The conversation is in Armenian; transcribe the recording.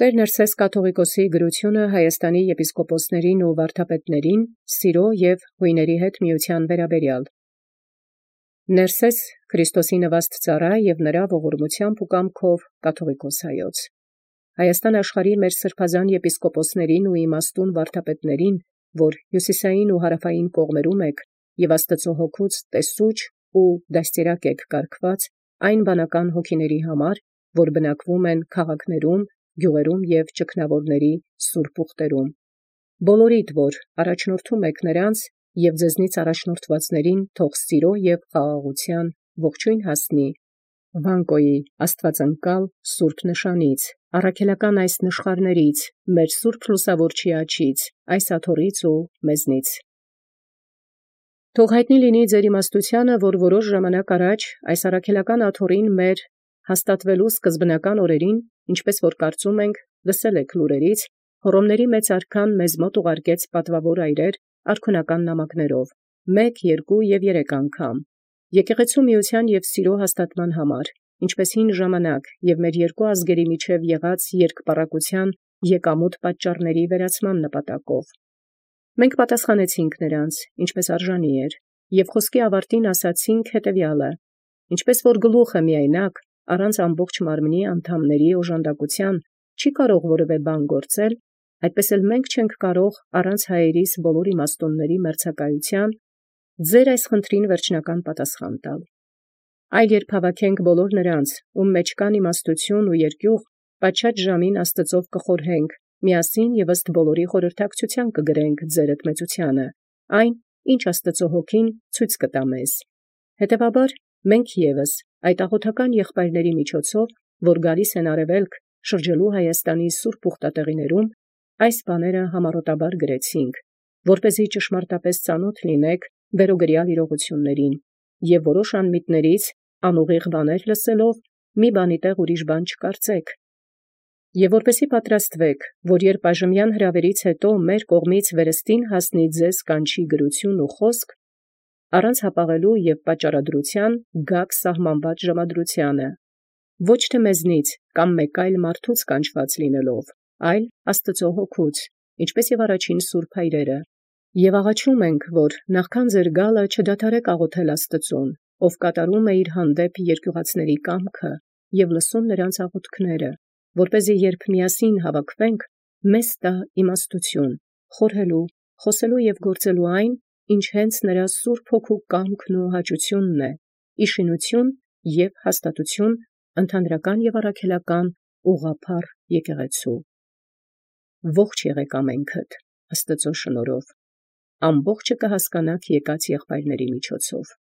Տեր Ներսես կաթողիկոսի գրությունը Հայաստանի եպիսկոպոսներին ու վարդապետներին սիրո և հույների հետ միության վերաբերյալ։ Ներսես Քրիստոսի նվաստ ծառայ և նրա ողորմությամբ ու կամքով կաթողիկոս հայոց։ Հայաստան աշխարհի մեր սրբազան եպիսկոպոսներին ու իմաստուն վարդապետներին, որ հյուսիսային ու հարավային կողմերում եք, և Աստծո հոգուց տեսուչ ու դաստիարակ եք կարգված այն վանական հոգիների համար, որ բնակվում են քաղաքներում, գյուղերում և ճգնավորների սուրբ ուխտերում։ Բոլորիդ, որ առաջնորդում եք նրանց և ձեզնից առաջնորդվածներին, թող սիրո և խաղաղության ողջույն հասնի Վանկոյի աստվածանկալ սուրբ նշանից, առաքելական այս նշխարներից, մեր սուրբ լուսավորչի աջից, այս աթոռից ու մեզնից։ Թող հայտնի լինի ձեր իմաստությանը, որ որոշ ժամանակ առաջ այս առաքելական աթոռին մեր հաստատվելու սկզբնական օրերին, ինչպես որ կարծում ենք, լսել եք լուրերից, Հոռոմների մեծ արքան մեզ մոտ ուղարկեց պատվավոր այրեր արքունական նամակներով, 1, 2 և 3 անգամ, եկեղեցու միության և սիրո հաստատման համար, ինչպես հին ժամանակ և մեր երկու ազգերի միջև եղած երկպառակության եկամուտ պատճառների վերացման նպատակով։ Մենք պատասխանեցինք նրանց, ինչպես արժանի էր, և խոսքի ավարտին ասացինք հետևյալը. ինչպես որ գլուխը միայնակ, առանց ամբողջ մարմնի անդամների օժանդակության չի կարող որևէ բան գործել, այդպես էլ մենք չենք կարող առանց հայերիս բոլոր իմաստունների մերձակայության ձեր այս խնդրին վերջնական պատասխան տալ։ Այլ երբ հավաքենք բոլոր նրանց, ում մեջ կան իմաստություն ու երկյուղ, պատշաճ ժամին Աստծով կխորհենք, միասին և ըստ բոլորի խորհրդակցության կգրենք ձերդ մեծությանը, այն, ինչ Աստծո հոգին ցույց կտա մեզ։ Հետևաբար, մենք ևս այդ աղոթական եղբայրների միջոցով, որ գալիս են արևելք, շրջելու Հայաստանի սուրբ ուխտատեղիներում, այս բաները համառոտաբար գրեցինք, որպեսզի ճշմարտապես ծանոթ լինեք վերոգրյալ իրողություններին, և որոշ անմիտներից անուղիղ բաներ լսելով, մի բանի տեղ ուրիշ բան չկարծեք, և որպեսզի պատրաստվեք, որ երբ այժմյան հրավերից հետո մեր կողմից վերստին հասնի ձեզ կանչի գրություն ու խոսք, առանց հապաղելու և պատճառադրության գաք սահմանված ժամադրությանը, ոչ թե մեզնից կամ մեկ այլ մարդուց կանչված լինելով, այլ Աստծո հոգուց, ինչպես և առաջին սուրբ հայրերը, և աղաչում ենք, որ նախքան ձեր գալը չդադարեք աղոթել Աստծուն, ով կատարում է իր հանդեպ երկյուղածների կամքը և լսում նրանց աղոթքները, որպեսզի երբ միասին հավաքվենք, մեզ տա իմաստություն, խորհելու, խոսելու և գործելու այն, ինչ հենց նրա սուրբ հոգու կամքն ու հաճությունն է, ի շինություն և հաստատություն ընդհանրական և առաքելական ուղղափառ եկեղեցու։ Ողջ եղեք ամենքդ Աստծո շնորհով, ամբողջը կհասկանաք եկած եղբայրների միջոցով։